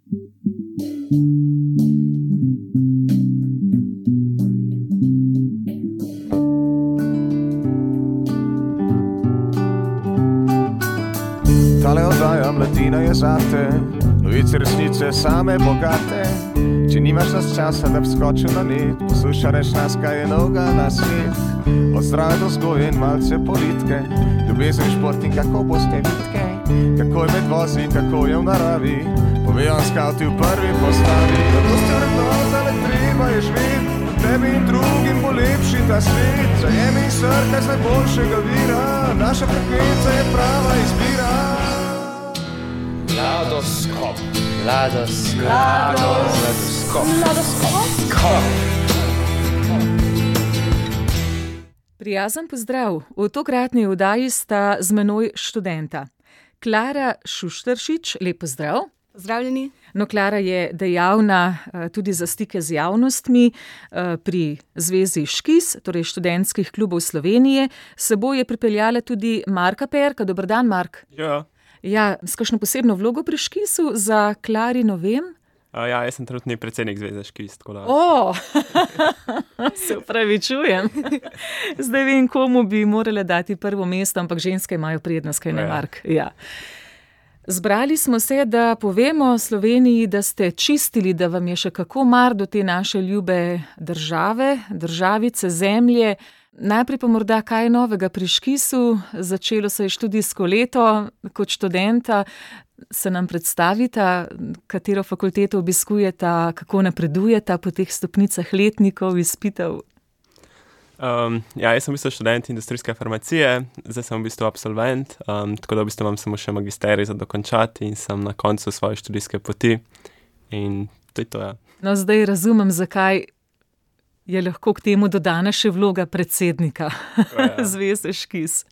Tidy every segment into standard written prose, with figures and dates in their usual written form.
Tale oddaja Mladina je zate, novice resnice same bogate. Če nimaš nas časa, da bi skočil na net, poslušaj nas, kaj je novega na svet. Od zdrave do vzgoje in malce politike, ljubezen, šport in kako boste vitke, kako je med vozi, kako je v naravi, povejo skavti v prvi postavi. Zato ste vrednota, le treba je živeti, tebi in drugim bo lepši ta svet. Zajemi in srkaj z najboljšega vira, naša frekvenca je prava izbira. Mladoskop. Prijazen pozdrav. V tokratni oddaji sta z menoj študenta. Klara Šušteršič, lep pozdrav. Pozdravljeni. No, Klara je dejavna tudi za stike z javnostmi pri Zvezi Škis, torej študentskih klubov Slovenije. S seboj je pripeljala tudi Marka Perka. Dober dan, Mark. Ja, s kakšno posebno vlogo pri Škisu za Klarino vem? Ja, jaz sem trenutni predsednik Zveze Škis, tako da... Se opravičujem. Zdaj vem, komu bi morale dati prvo mesto, ampak ženske imajo prednost, kaj ne, Mark? Ja. Zbrali smo se, da povemo Sloveniji, da ste čistili, da vam je še kako mar do te naše ljube države, državice, zemlje. Najprej pa morda kaj novega pri Škisu. Začelo se je študijsko leto. Kot študenta se nam predstavita, katero fakulteto obiskujeta, kako napredujeta po teh stopnicah letnikov, izpitev. Jaz sem v bistvu študent industrijske farmacije, zdaj sem v bistvu absolvent, tako da v bistvu imam samo še magisterij za dokončati in sem na koncu svoje študijske poti. In to je to, ja. No, zdaj razumem, zakaj je lahko k temu dodana še vloga predsednika Zveze Škis.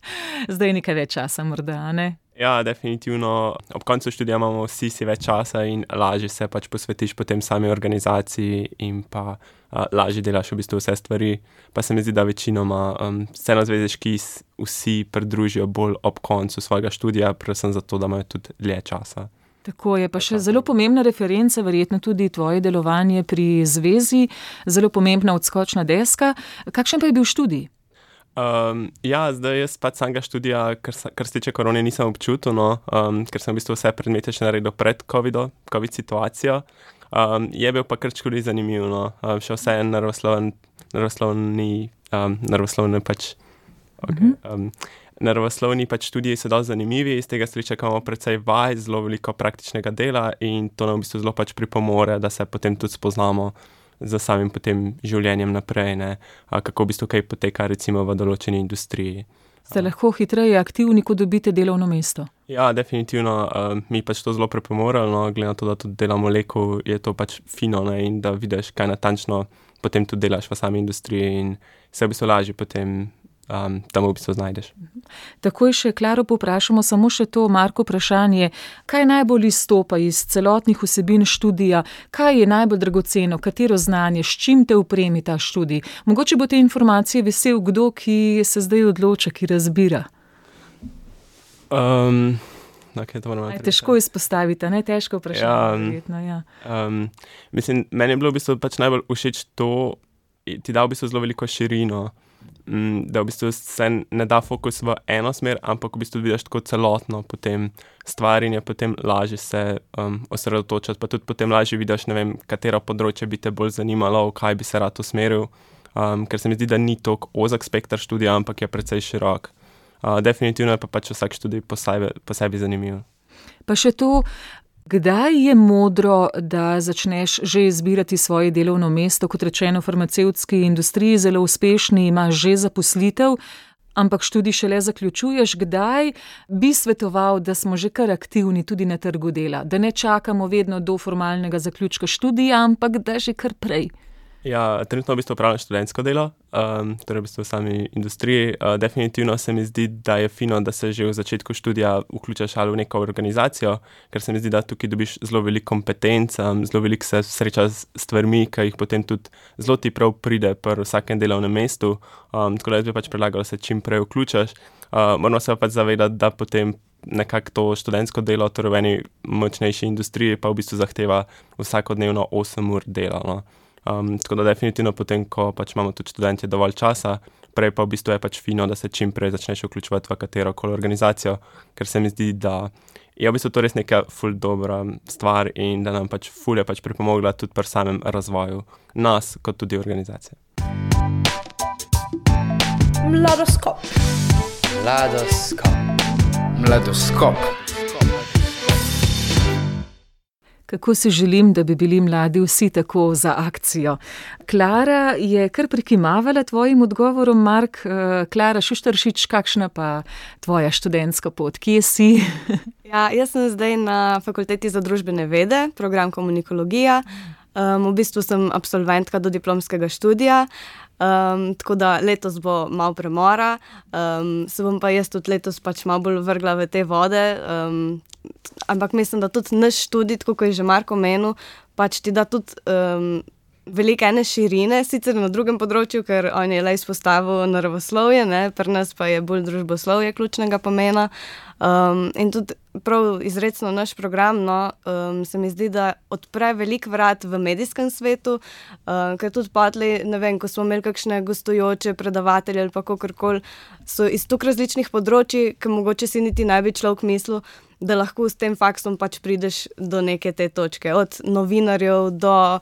Zdaj nekaj več časa morda, ne? Ja, definitivno. Ob koncu študija imamo vsi si več časa in lažje se pač posvetiš potem sami organizaciji in pa lažje delaš v bistvu vse stvari. Pa se mi zdi, da večinoma se na Zveze Škis vsi pridružijo bolj ob koncu svojega študija, predvsem zato, da imajo tudi dlje časa. Tako je, pa še zelo pomembna referenca, verjetno tudi tvoje delovanje pri zvezi, zelo pomembna odskočna deska. Kakšen pa je bil študij? Ja, zdaj jaz pač samega študija, kar se tiče korone, nisem občutil, ker sem v bistvu vse predmete še naredil pred COVID situacijo. Je bil pa kar čkoli zanimiv, še vse naravoslovni pač študiji so dosti zanimivi, iz tega se čakamo precej vaj, zelo veliko praktičnega dela in to nam v bistvu zelo pač pripomore, da se potem tudi spoznamo za samim potem življenjem naprej, ne, kako v bistvu kaj poteka recimo v določeni industriji. Ste lahko hitreje aktivni, ko dobite delovno mesto? Ja, definitivno, mi pač to zelo pripomoralo, glede na to, da tudi delamo leku, je to pač fino, ne, in da vidiš, kaj natančno potem tudi delaš v sami industriji in se v bistvu lažje potem tam v bistvu znajdeš. Takoj še Klaro povprašamo samo še to, Marko, vprašanje, kaj najbolj izstopa iz celotnih vsebin študija, kaj je najbolj dragoceno, katero znanje, s čim te opremi ta študij? Mogoče bo te informacije vesel kdo, ki se zdaj odloča, ki razbira. Okay, težko izpostaviti, ne? Težko vprašanje. Mislim, meni je bilo v bistvu pač najbolj všeč to, ti da v bistvu zelo veliko širino, da v bistvu se ne da fokus v eno smer, ampak v bistvu vidiš tako celotno potem stvar in je potem lažje se osredotočati, pa tudi potem lažje vidiš, ne vem, katero področje bi te bolj zanimalo, v kaj bi se rad usmeril, ker se mi zdi, da ni toliko ozek spekter študija, ampak je precej širok. Definitivno je pa pač vsak študij posebej zanimiv. Pa še to, kdaj je modro, da začneš že izbirati svoje delovno mesto, kot rečeno v farmacevtski industriji, zelo uspešni, imaš že zaposlitev, ampak študij šele zaključuješ, kdaj bi svetoval, da smo že kar aktivni tudi na trgu dela, da ne čakamo vedno do formalnega zaključka študija, ampak da že kar prej. Ja, trenutno v bistvu upravljam študentsko delo, torej v bistvu v sami industriji. Definitivno se mi zdi, da je fino, da se že v začetku študija vključaš ali v neko organizacijo, ker se mi zdi, da tukaj dobiš zelo veliko kompetenc, zelo veliko se sreča s stvarmi, ki jih potem tudi zelo ti prav pride pri vsakem delovnem mestu, tako da jaz bi pač predlagal, da se čim prej vključaš. Moramo se pač zavedati, da potem nekako to študentsko delo, torej v eni močnejši industriji, pa v bistvu zahteva vsakodnevno 8 ur dela. No. Tako da definitivno potem, ko pač imamo tudi študentje dovolj časa, prej pa v bistvu je pač fino, da se čim prej začneš vključevati v katerokoli organizacijo, ker se mi zdi, da je v bistvu to res neka ful dobra stvar in da nam pač ful je pač pripomogla tudi pri samem razvoju nas, kot tudi organizacije. Mladoskop. Kako si želim, da bi bili mladi vsi tako za akcijo. Klara je kar prikimavala tvojim odgovorom, Mark. Klara Šuštaršič, kakšna pa tvoja študentska pot? Kje si? Ja, jaz sem zdaj na Fakulteti za družbene vede, program komunikologija. V bistvu sem absolventka do diplomskega študija, tako da letos bo malo premora. Se bom pa jaz tudi letos pač malo bolj vrgla v te vode, ampak mislim, da tudi naš študij, tako kot je že Marko omenil, pač ti da tudi veliko ene širine, sicer na drugem področju, ker on je le izpostavil naravoslovje, ne, pri nas pa je bolj družboslovje ključnega pomena. In tudi prav izrecno naš program, se mi zdi, da odpre veliko vrat v medijskem svetu, ker tudi patli, ne vem, ko smo imeli kakšne gostujoče predavatelje ali pa kakorkoli, so iz toliko različnih področji, ki mogoče si niti ne bi človek mislil, da lahko s tem faksom pač prideš do neke te točke. Od novinarjev do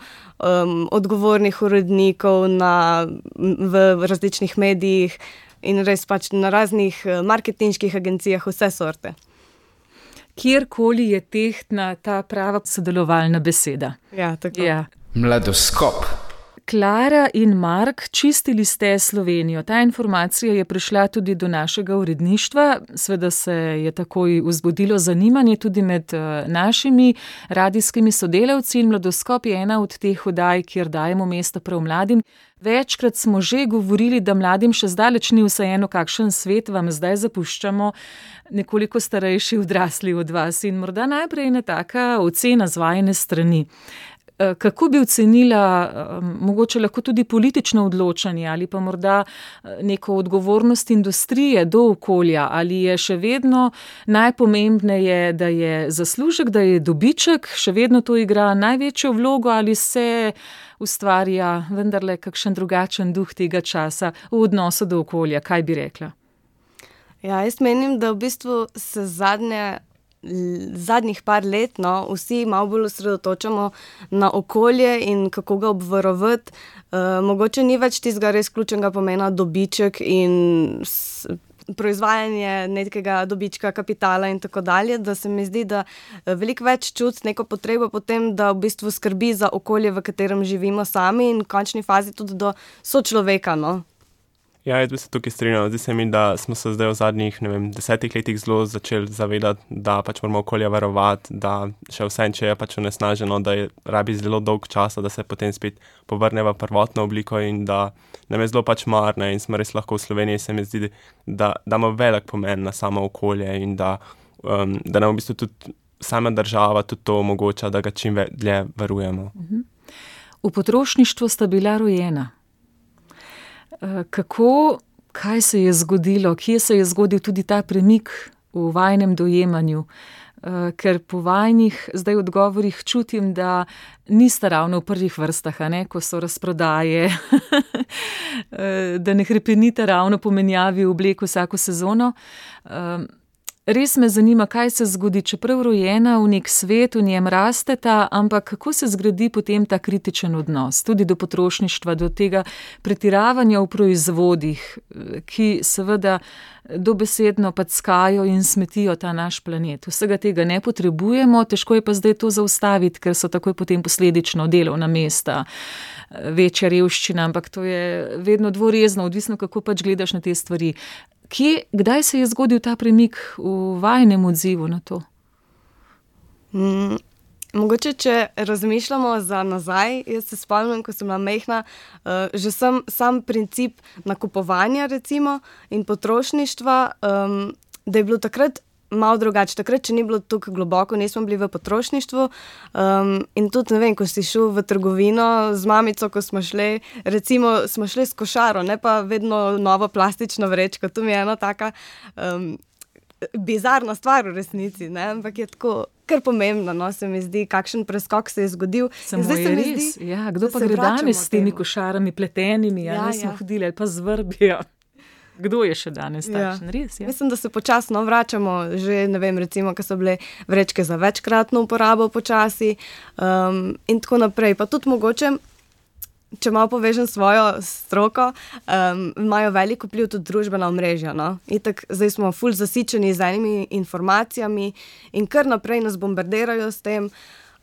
odgovornih urednikov v različnih medijih in res pač na raznih marketinških agencijah, vse sorte. Kjerkoli je tehtna ta prava sodelovalna beseda. Ja, tako. Ja. Mladoskop. Klara in Mark, čistili ste Slovenijo. Ta informacija je prišla tudi do našega uredništva. Sveda se je takoj vzbudilo zanimanje tudi med našimi radijskimi sodelavci in Mladoskop je ena od teh oddaj, kjer dajemo mesto prav mladim. Večkrat smo že govorili, da mladim še zdaleč ni vseeno, kakšen svet vam zdaj zapuščamo, nekoliko starejši odrasli od vas. In morda najprej ena taka ocena z vajine strani. Kako bi ocenila mogoče lahko tudi politično odločanje ali pa morda neko odgovornost industrije do okolja? Ali je še vedno najpomembneje, da je zaslužek, da je dobiček, še vedno to igra največjo vlogo ali se ustvarja vendarle kakšen drugačen duh tega časa v odnosu do okolja? Kaj bi rekla? Ja, jaz menim, da v bistvu se zadnjih par let, vsi malo bolj osredotočamo na okolje in kako ga obvarovati. Mogoče ni več tistega res ključnega pomena dobiček in proizvajanje nekega dobička, kapitala in tako dalje, da se mi zdi, da veliko več čuti neko potrebo potem, da v bistvu skrbi za okolje, v katerem živimo sami in v končni fazi tudi do sočloveka, Ja, jaz bi se tukaj strinjal. Zdi se mi, da smo se zdaj v zadnjih, 10 letih zelo začeli zavedati, da pač moramo okolje varovati, da še vse, če je pač onesnaženo, da je rabi zelo dolg časa, da se potem spet povrne v prvotno obliko in da nam je zelo pač mar, in smo res lahko v Sloveniji, se mi zdi, da ima velik pomen na samo okolje in da nam v bistvu tudi sama država tudi to omogoča, da ga čim dlje varujemo. V potrošništvu sta bila rojena. Kaj se je zgodilo, kje se je zgodil tudi ta premik v vajinem dojemanju? Ker po vajnih zdaj odgovorih čutim, da niste ravno v prvih vrstah, ko so razprodaje, da ne hrepenite ravno po menjavi oblek vsako sezono. Res me zanima, kaj se zgodi, čeprav rojena v nek svet, v njem rasteta, ampak kako se zgradi potem ta kritičen odnos, tudi do potrošništva, do tega pretiravanja v proizvodih, ki seveda dobesedno packajo in smetijo ta naš planet. Vsega tega ne potrebujemo, težko je pa zdaj to zaustaviti, ker so takoj potem posledično delovna mesta, večja revščina, ampak to je vedno dvorezno, odvisno kako pač gledaš na te stvari. Kdaj se je zgodil ta premik v vajinem odzivu na to? Mogoče, če razmišljamo za nazaj, jaz se spomnim, ko sem bila majhna, že sam princip nakupovanja recimo in potrošništva, da je bilo takrat malo drugače. Takrat, če ni bilo tako globoko, nismo bili v potrošništvu in tudi, ne vem, ko si šel v trgovino z mamico, ko smo šli, recimo smo šli s košaro, ne pa vedno novo plastično vrečko. To mi je ena taka bizarna stvar v resnici, ne? Ampak je tako kar pomembno, no? Se mi zdi, kakšen preskok se je zgodil. Samo je res, ja, kdo pa gre danes s temi košarami pletenimi, smo hodili ali pa z vrbijo. Kdo je še danes takšen, res? Ja. Mislim, da se počasno vračamo, že ne vem, recimo, ko so bile vrečke za večkratno uporabo počasi in tako naprej. Pa tudi mogoče, če malo povežem svojo stroko, imajo veliko vpliv tudi družbena omrežja. No? Itak, zdaj smo ful zasičeni z enimi informacijami in kar naprej nas bombardirajo s tem.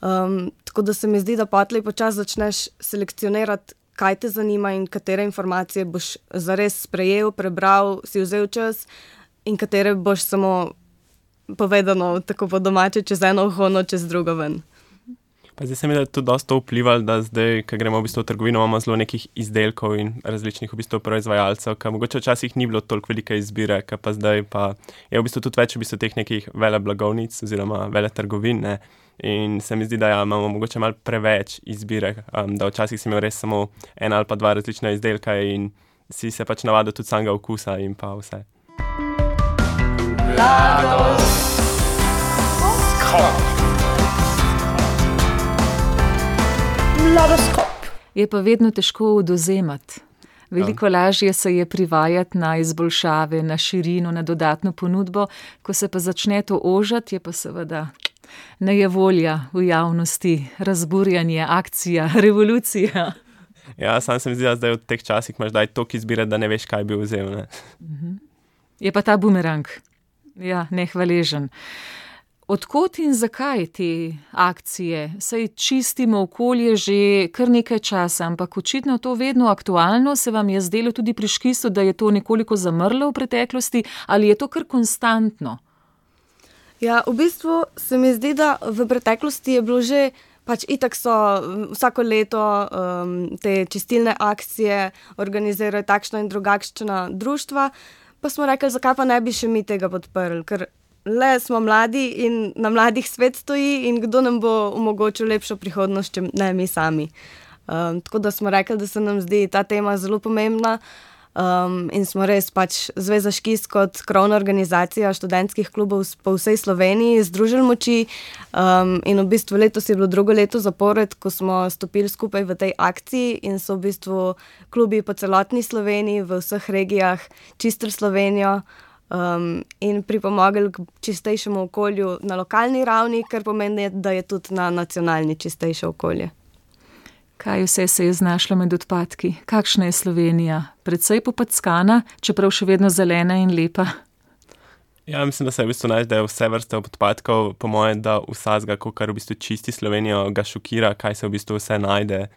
Tako da se mi zdi, da potlej počasi začneš selekcionirati, kaj te zanima in katere informacije boš zares sprejel, prebral, si vzel čas in katere boš samo povedano tako po domače čez eno uho, čez drugo ven. Pa zdaj se mi da tudi dosta vplivalo, da zdaj, ko gremo v bistvu v trgovino, imamo zelo nekih izdelkov in različnih v bistvu proizvajalcev, ki mogoče včasih ni bilo toliko velike izbire, ki pa zdaj pa je v bistvu tudi več v bistvu teh nekih veleblagovnic oziroma veletrgovin, ne. In se mi zdi, da imamo mogoče malo preveč izbire, da včasih si imel res samo ena ali pa dva različna izdelka in si se pač navadil tudi samega okusa in pa vse. Mladoskop. Je pa vedno težko odvzemati. Veliko lažje se je privajati na izboljšave, na širino, na dodatno ponudbo, ko se pa začne to ožati, je pa seveda nejevolja v javnosti, razburjanje, akcija, revolucija. Ja, sam se mi zdi, da zdaj v teh časih imaš daj toliko izbire, da ne veš, kaj bi vzel. Ne? Je pa ta bumerang. Ja, nehvaležen. Odkot in zakaj te akcije? Saj čistimo okolje že kar nekaj časa, ampak očitno to vedno aktualno. Se vam je zdelo tudi pri škisu, da je to nekoliko zamrlo v preteklosti ali je to kar konstantno? Ja, v bistvu se mi zdi, da v preteklosti je bilo že, pač itak so vsako leto te čistilne akcije organizirajo takšna in drugačna društva, pa smo rekli, zakaj pa ne bi še mi tega podprli, ker le smo mladi in na mladih svet stoji in kdo nam bo omogočil lepšo prihodnost, če ne mi sami. Tako da smo rekli, da se nam zdi ta tema zelo pomembna in smo res pač Zveza Škis kot krovna organizacija študentskih klubov po vsej Sloveniji združili moči in v bistvu letos je bilo drugo leto zapored, ko smo stopili skupaj v tej akciji in so v bistvu klubi po celotni Sloveniji, v vseh regijah čistili Slovenijo in pripomogli k čistejšemu okolju na lokalni ravni, kar pomeni, da je tudi na nacionalni čistejše okolje. Kaj vse se je znašlo med odpadki? Kakšna je Slovenija? Precej popackana, čeprav še vedno zelena in lepa? Ja, mislim, da se v bistvu da je vse vrste odpadkov, po mojem, da vsazga, kar v bistvu čisti Slovenijo, ga šokira, kaj se v bistvu vse najde.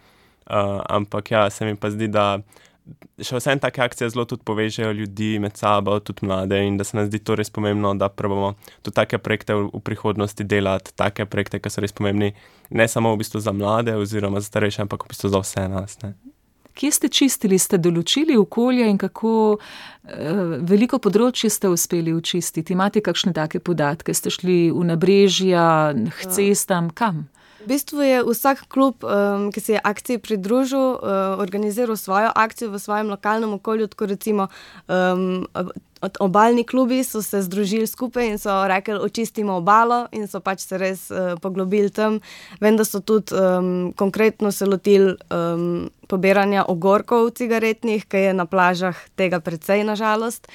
Ampak ja, se mi pa zdi, da še vsem take akcije zelo tudi povežejo ljudi med sabo, tudi mlade in da se nam zdi to res pomembno, da probamo tudi take projekte v prihodnosti delati, take projekte, ki so res pomembni, ne samo v bistvu za mlade oziroma za starejše, ampak v bistvu za vse nas, ne. Kje ste čistili, ste določili okolje in kako veliko področje ste uspeli očistiti? Imate kakšne take podatke? Ste šli v nabrežja, k cestam, kam? V bistvu je vsak klub, ki se je akciji pridružil, organiziral svojo akcijo v svojem lokalnem okolju, tako recimo obalni klubi so se združili skupaj in so rekli, očistimo obalo in so pač se res poglobili tam. Vem, da so tudi konkretno se lotili pobiranja ogorkov cigaretnih, ki je na plažah tega precej, na žalost.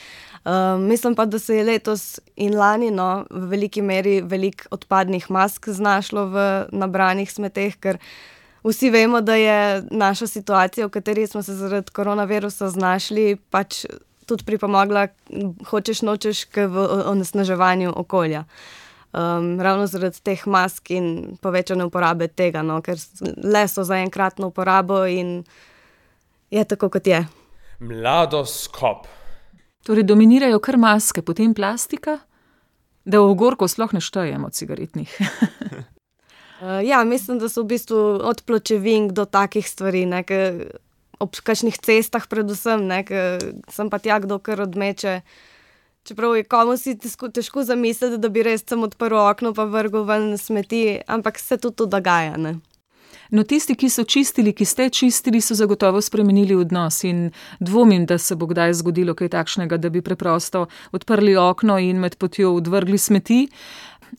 Mislim pa, da se je letos in lani v veliki meri veliko odpadnih mask znašlo v nabranih smeteh, ker vsi vemo, da je naša situacija, v kateri smo se zaradi koronavirusa znašli, pač tudi pripomogla, hočeš nočeš, k onesnaževanju okolja. Ravno zaradi teh mask in povečane uporabe tega, ker le so za enkratno uporabo in je tako, kot je. Mladoskop. Torej dominirajo kar maske, potem plastika, da v ogorkov sploh ne štejemo cigaretnih. Ja, mislim, da so v bistvu od pločevink do takih stvari, ob kakšnih cestah predvsem, sem pa tja kdo kar odmeče. Čeprav je komu si težko zamisliti, da bi res sem odprl okno pa vrgel ven smeti, ampak se tudi to dogaja, ne. No, tisti, ki so čistili, ki ste čistili, so zagotovo spremenili odnos in dvomim, da se bo kdaj zgodilo kaj takšnega, da bi preprosto odprli okno in med potjo odvrgli smeti.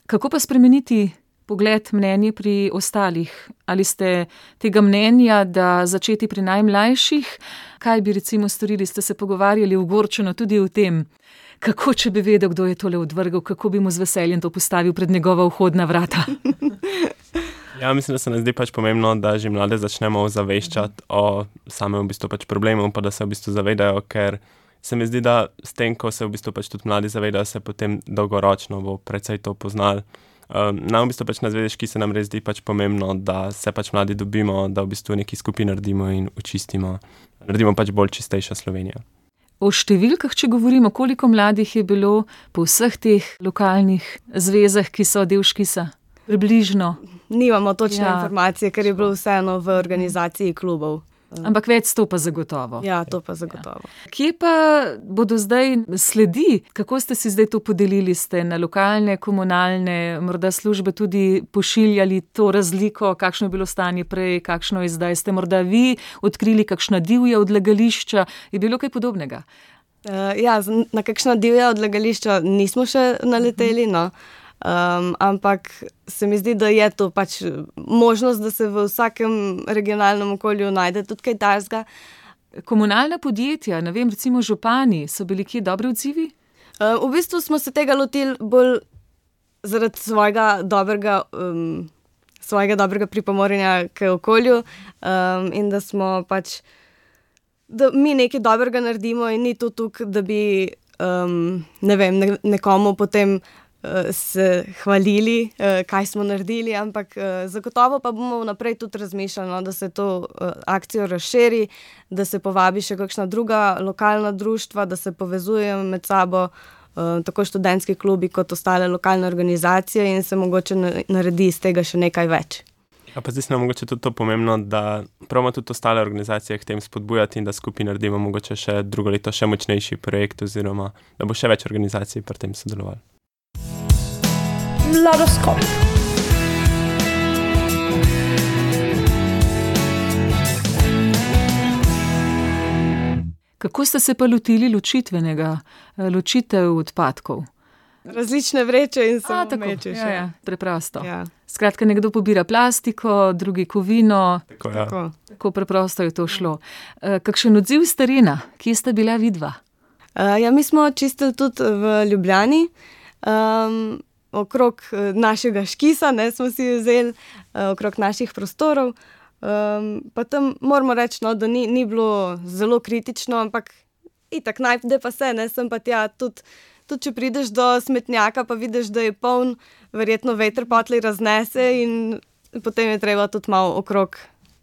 Kako pa spremeniti pogled, mnenje pri ostalih? Ali ste tega mnenja, da začeti pri najmlajših? Kaj bi recimo storili? Ste se pogovarjali ogorčeno tudi o tem, kako če bi vedel, kdo je tole odvrgel, kako bi mu z veseljem to postavil pred njegova vhodna vrata? Ja, mislim, da se nam zdi pač pomembno, da že mlade začnemo ozaveščati o samem v bistvu pač problemu, pa da se v bistvu zavedajo, ker se mi zdi, da s tem, ko se v bistvu pač tudi mladi zavedajo, se potem dolgoročno bo precej to poznali. Nam v bistvu pač na Zvezdeški se nam res zdi pač pomembno, da se pač mladi dobimo, da v bistvu neki skupaj naredimo in očistimo. Naredimo pač bolj čistejša Slovenija. O številkah, če govorimo, koliko mladih je bilo po vseh teh lokalnih zvezah, ki so del Škisa? Približno. Nimamo točne informacije, ker je bilo vseeno v organizaciji klubov. Ampak več sto pa zagotovo. Ja, to pa zagotovo. Kje pa bodo zdaj sledi? Kako ste si zdaj to podelili? Ste na lokalne, komunalne, morda službe tudi pošiljali to razliko, kakšno je bilo stanje prej, kakšno je zdaj? Ste morda vi odkrili kakšna divja odlagališča? Je bilo kaj podobnega? Na kakšna divja odlagališča nismo še naleteli, no. Ampak se mi zdi, da je to pač možnost, da se v vsakem regionalnem okolju najde tudi kaj takega. Komunalna podjetja, ne vem, recimo župani, so bili kje dobri odzivi? V bistvu smo se tega lotili bolj zaradi svojega dobrega pripomorjenja k okolju, in da smo pač, da mi nekaj dobrega naredimo in ni to tukaj, da bi nekomu potem se hvalili, kaj smo naredili, ampak zagotovo pa bomo vnaprej tudi razmišljali, da se to akcijo razširi, da se povabi še kakšna druga lokalna društva, da se povezujejo med sabo, tako študentski klubi kot ostale lokalne organizacije in se mogoče naredi iz tega še nekaj več. Ja, pa zdaj se nam mogoče tudi to pomembno, da pravimo tudi ostale organizacije k tem spodbujati in da skupaj naredimo mogoče še drugo leto še močnejši projekt oziroma da bo še več organizacij pri tem sodelovali. Mladoskop. Kako ste se pa lotili ločitev odpadkov? Različne vreče in samo mečeš. Ja, preprosto. Ja. Skratka, nekdo pobira plastiko, drugi kovino. Tako preprosto je to šlo. Kakšen odziv s terena? Kje sta bila vidva? Mi smo čistili tudi v Ljubljani. Okrog našega Škisa, smo si vzeli, okrog naših prostorov. Pa tam moramo reči, da ni bilo zelo kritično, ampak itak najde pa se, sem pa tja tudi če prideš do smetnjaka, pa vidiš, da je poln, verjetno veter potli raznese in potem je treba tudi malo okrog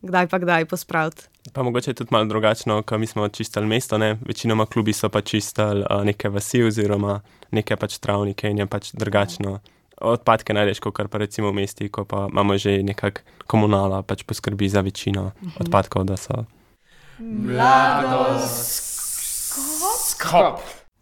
kdaj pospraviti. Pa mogoče je tudi malo drugačno, ko mi smo čistili mesto, večinoma klubi so pa čistili neke vasi oziroma neke pač travnike in je pač drugačno. Odpadke najdeš, kot pa recimo v mesti, ko pa imamo že nekak komunala, pač poskrbi za večino odpadkov, da so. Mladoskop.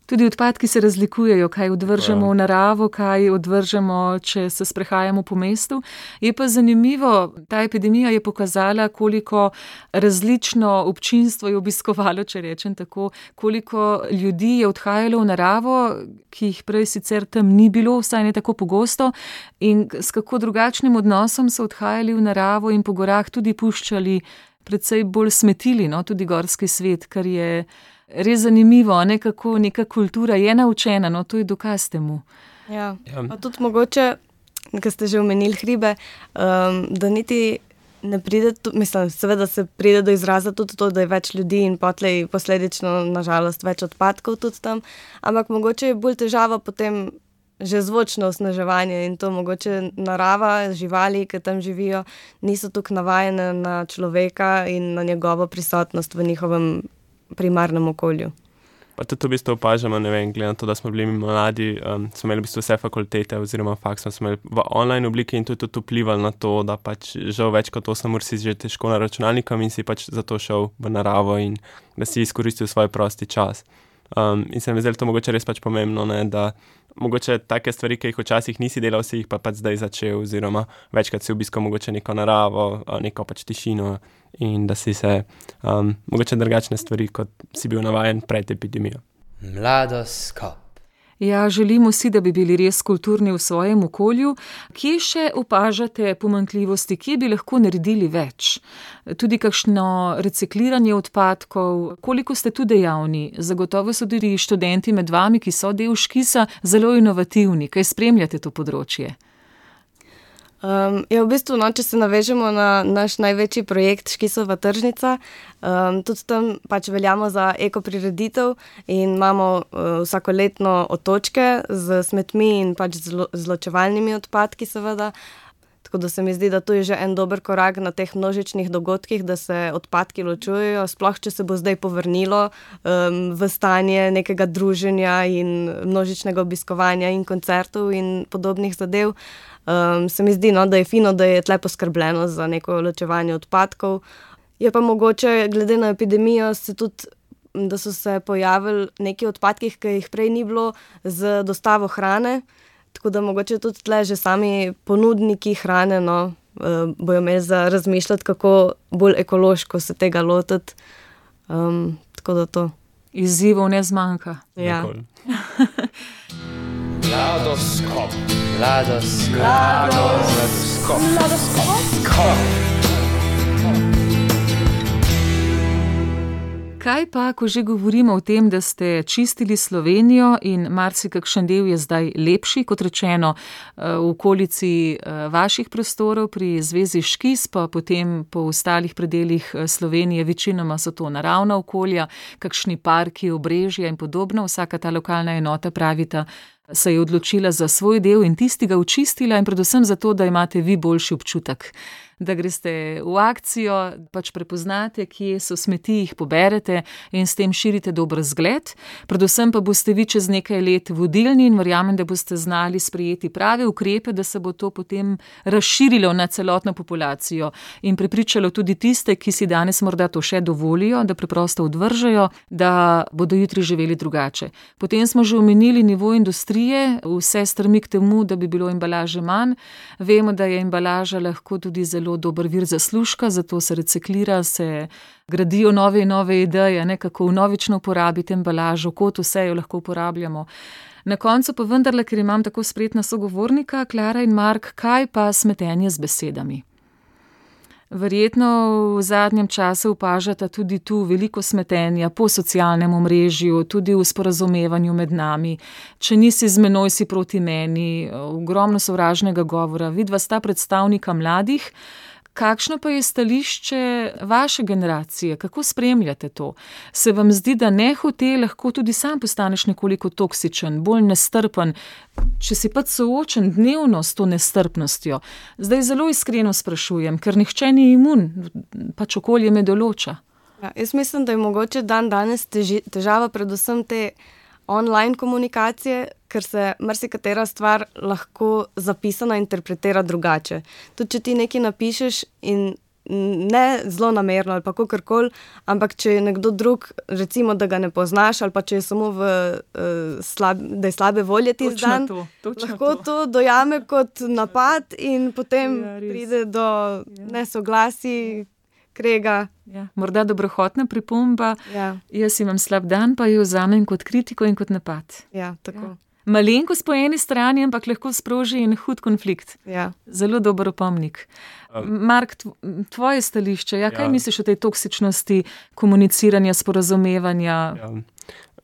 Tudi odpadki se razlikujejo, kaj odvržemo v naravo, kaj odvržemo, če se sprehajamo po mestu. Je pa zanimivo, ta epidemija je pokazala, koliko različno občinstvo je obiskovalo, če rečem tako, koliko ljudi je odhajalo v naravo, ki jih prej sicer tam ni bilo, vsaj ne tako pogosto, in s kako drugačnim odnosom so odhajali v naravo in po gorah tudi puščali, predvsej bolj smetili, tudi gorski svet, kar je res zanimivo, kako neka kultura je naučena, to je dokaz temu. Ja. Pa tudi mogoče, ker ste že omenili hribe, da niti ne pride, seveda se pride do izraza tudi to, da je več ljudi in potlej posledično, nažalost, več odpadkov tudi tam, ampak mogoče je bolj težava potem že zvočno osnaževanje in to mogoče narava, živali, ki tam živijo, niso tukaj navajene na človeka in na njegovo prisotnost v njihovem primarnem okolju. Pa tudi v bistvu opažamo, glede na to, da smo bili mladi, smo imeli v bistvu vse fakultete oziroma faks smo imeli v online obliki in to je tudi vplivalo na to, da pač žal več kot 8 ur si že težko na računalnikom in si pač zato šel v naravo in da si izkoristil svoj prosti čas. In se mi zdi to mogoče res pač pomembno, ne, da mogoče take stvari, ki jih včasih nisi delal, si jih pa pač zdaj začel, oziroma večkrat si obiskal mogoče neko naravo, neko pač tišino in da si se mogoče drugačne stvari, kot si bil navajen pred epidemijo. Mladoskop. Ja, želimo si, da bi bili res kulturni v svojem okolju. Kje še opažate pomanjkljivosti, kje bi lahko naredili več? Tudi kakšno recikliranje odpadkov, koliko ste tu dejavni? Zagotovo so tudi študenti med vami, ki so del Škisa, zelo inovativni. Kaj spremljate to področje? Ja, v bistvu, če se navežemo na naš največji projekt Škisova tržnica, tudi tam pač veljamo za ekoprireditev in imamo vsakoletno otočke z smetmi in pač z ločevalnimi odpadki seveda. Tako da se mi zdi, da to je že en dober korak na teh množičnih dogodkih, da se odpadki ločujejo, sploh če se bo zdaj povrnilo v stanje nekega druženja in množičnega obiskovanja in koncertov in podobnih zadev. Se mi zdi, da je fino, da je tle poskrbljeno za neko ločevanje odpadkov. Je pa mogoče, glede na epidemijo, da so se pojavili neki odpadki, ki jih prej ni bilo, z dostavo hrane. Tako da mogoče tudi tle že sami ponudniki hrane bojo imeli za razmišljati, kako bolj ekološko se tega lotiti. Tako da to. Izzivov ne zmanjka. Ja. Mladoskop. Kaj pa, ko že govorimo o tem, da ste čistili Slovenijo in marsikakšen del je zdaj lepši, kot rečeno, v okolici vaših prostorov pri Zvezi Škis, pa potem po ostalih predelih Slovenije, večinoma so to naravna okolja, kakšni parki, obrežja in podobno, vsaka ta lokalna enota, pravita, se je odločila za svoj del in tisti ga očistila in predvsem zato, da imate vi boljši občutek. Da greste v akcijo, pač prepoznate, kje so smeti, jih poberete in s tem širite dober zgled. Predvsem pa boste vi čez nekaj let vodilni in verjamem, da boste znali sprejeti prave ukrepe, da se bo to potem razširilo na celotno populacijo in prepričalo tudi tiste, ki si danes morda to še dovolijo, da preprosto odvržejo, da bodo jutri živeli drugače. Potem smo že omenili nivo industrije, vse strmi k temu, da bi bilo embalaže manj. Vemo, da je embalaža lahko tudi zelo dober vir zaslužka, zato se reciklira, se gradijo nove in nove ideje, kako vnovično uporabiti embalažo, kot vse jo lahko uporabljamo. Na koncu pa vendarle, ker imam tako spretna sogovornika, Klara in Mark, kaj pa smetenje z besedami? Verjetno v zadnjem času opažata tudi tu veliko smetenja po socialnem omrežju, tudi v sporazumevanju med nami. Če nisi z menoj, si proti meni, ogromno sovražnega govora. Vidva sta predstavnika mladih. Kakšno pa je stališče vaše generacije? Kako spremljate to? Se vam zdi, da nehote lahko tudi sam postaneš nekoliko toksičen, bolj nestrpen, če si pač soočen dnevno s to nestrpnostjo? Zdaj zelo iskreno sprašujem, ker nihče ni imun, pač okolje me določa. Ja, jaz mislim, da je mogoče danes težava predvsem te online komunikacije, ker se marsikatera stvar lahko zapisana interpretira drugače. Tudi če ti nekaj napišeš in ne zelo namerno ali pa kakorkoli, ampak če je nekdo drug, recimo, da ga ne poznaš ali pa če je samo da je slabe volje tisti dan, lahko to dojame kot napad in potem pride do nesoglasij, krega. Ja, morda dobrohotna pripomba. Ja. Jaz imam slab dan, pa jo vzamem kot kritiko in kot napad. Ja, tako. Ja. Malenkost po eni strani, ampak lahko sproži en hud konflikt. Ja. Zelo dober opomnik. Mark, tvoje stališče, kaj misliš o tej toksičnosti komuniciranja, sporazumevanja? Ja.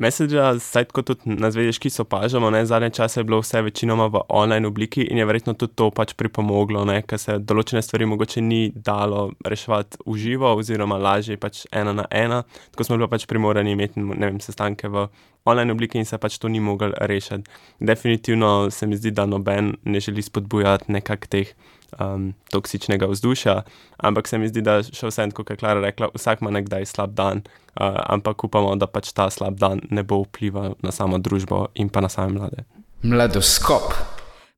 Messenger, saj kot tudi na Zvezi Škis opažamo, zadnje čase je bilo vse večinoma v online obliki in je verjetno tudi to pač pripomoglo, ker se določene stvari mogoče ni dalo reševati v živo oziroma lažje pač 1 na 1. Tako smo bili pač primorani imeti, sestanke v online obliki in se pač to ni moglo rešiti. Definitivno se mi zdi, da noben ne želi spodbujati nekak teh toksičnega vzdušja, ampak se mi zdi, da še vsem, kot je Klara rekla, vsak ima nekdaj slab dan, ampak upamo, da pač ta slab dan ne bo vplival na samo družbo in pa na same mlade. Mladoskop.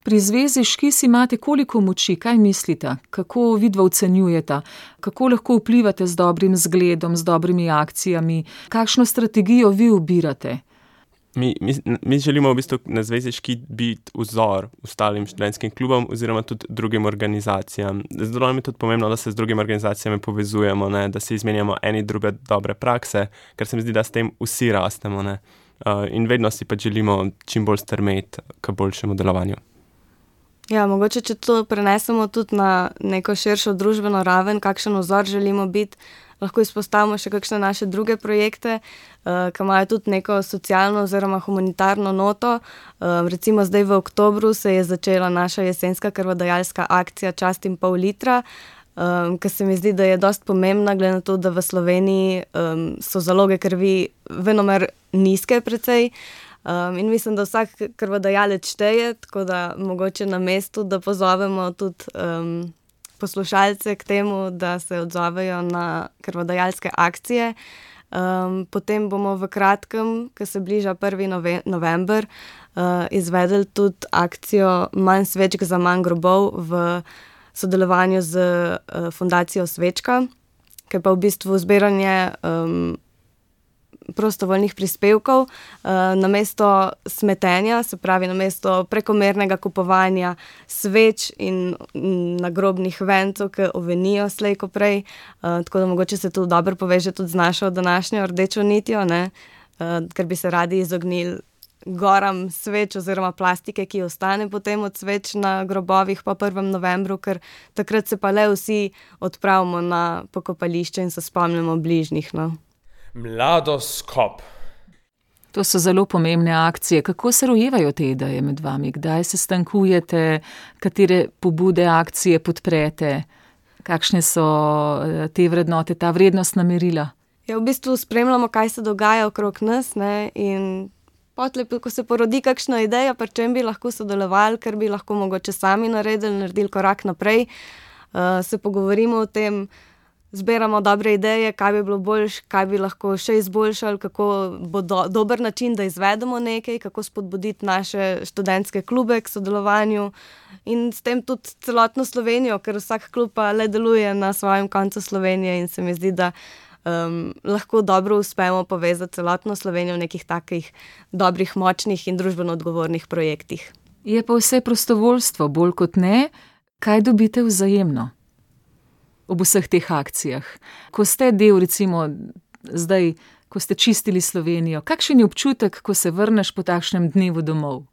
Pri Zvezi Škis imate koliko moči, kaj mislite? Kako vidva ocenjujeta? Kako lahko vplivate z dobrim zgledom, z dobrimi akcijami? Kakšno strategijo vi ubirate? Mi želimo v bistvu na Zvezi Škit biti vzor ostalim študentskim klubom oziroma tudi drugim organizacijam. Zelo nam je tudi pomembno, da se z drugimi organizacijami povezujemo, ne? Da si izmenjamo eni druge dobre prakse, ker se mi zdi, da s tem vsi rastemo, ne? In vedno si pa želimo čim bolj strmeti k boljšemu delovanju. Ja, mogoče, če to prenesemo tudi na neko širšo družbeno raven, kakšen vzor želimo biti, lahko izpostavimo še kakšne naše druge projekte, ki imajo tudi neko socialno oziroma humanitarno noto. Recimo zdaj v oktobru se je začela naša jesenska krvodajalska akcija Čast in pol litra, ki se mi zdi, da je dosti pomembna, glede na to, da v Sloveniji so zaloge krvi venomer nizke precej. In mislim, da vsak krvodajalec šteje, tako da mogoče na mestu, da pozovemo tudi poslušalce k temu, da se odzovejo na krvodajalske akcije. Potem bomo v kratkem, ko se bliža 1. november, izvedli tudi akcijo Manj svečk za manj grobov v sodelovanju z fundacijo Svečka, ki pa v bistvu zbiranje prostovoljnih prispevkov namesto smetenja, se pravi namesto prekomernega kupovanja sveč in nagrobnih vencev, ki ovenijo slej ko prej, tako da mogoče se to dobro poveže tudi z našo današnjo rdečo nitjo, ne? Ker bi se radi izognili goram sveč oziroma plastike, ki ostane potem od sveč na grobovih po 1. novembru, ker takrat se pa le vsi odpravimo na pokopališče in se spomnimo bližnjih, no. Mladoskop. To so zelo pomembne akcije. Kako se rojevajo te ideje med vami? Kdaj se stankujete? Katere pobude, akcije podprete? Kakšne so te vrednote, ta vrednostna merila? Ja, v bistvu spremljamo, kaj se dogaja okrog nas, ne, in potlej, ko se porodi kakšna ideja, pri čem bi lahko sodelovali, ker bi lahko mogoče sami naredili korak naprej, se pogovorimo o tem, zbiramo dobre ideje, kaj bi bilo boljše, kaj bi lahko še izboljšali, kako bo dober način, da izvedemo nekaj, kako spodbuditi naše študentske klube k sodelovanju in s tem tudi celotno Slovenijo, ker vsak klub pa le deluje na svojem koncu Slovenije in se mi zdi, da lahko dobro uspemo povezati celotno Slovenijo v nekih takih dobrih, močnih in družbeno odgovornih projektih. Je pa vse prostovoljstvo, bolj kot ne, kaj dobite vzajemno ob vseh teh akcijah? Ko ste del, recimo zdaj, ko ste čistili Slovenijo, kakšen je občutek, ko se vrneš po takšnem dnevu domov?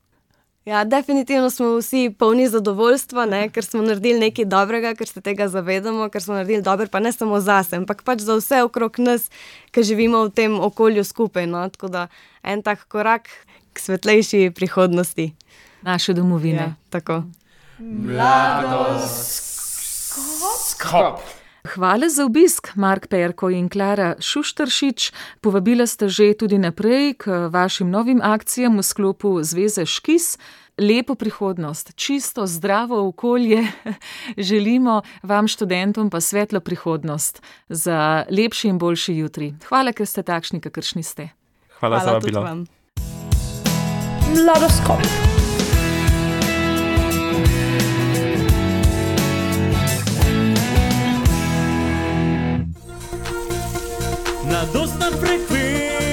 Ja, definitivno smo vsi polni zadovoljstva, ne, ker smo naredili nekaj dobrega, ker se tega zavedamo, ker smo naredili dobro, pa ne samo zase, ampak pač za vse okrog nas, ki živimo v tem okolju skupaj, no, tako da en tak korak k svetlejši prihodnosti. Naše domovine. Ja, tako. Mladoskop. Hvala za obisk, Mark Perko in Klara Šuštaršič. Povabila ste že tudi naprej k vašim novim akcijam v sklopu Zveze Škis. Lepo prihodnost, čisto zdravo okolje. Želimo vam študentom pa svetlo prihodnost za lepši in boljši jutri. Hvala, ker ste takšni, kakršni ste. Hvala za vabilo. Mladoskop. Na dostan frekvenci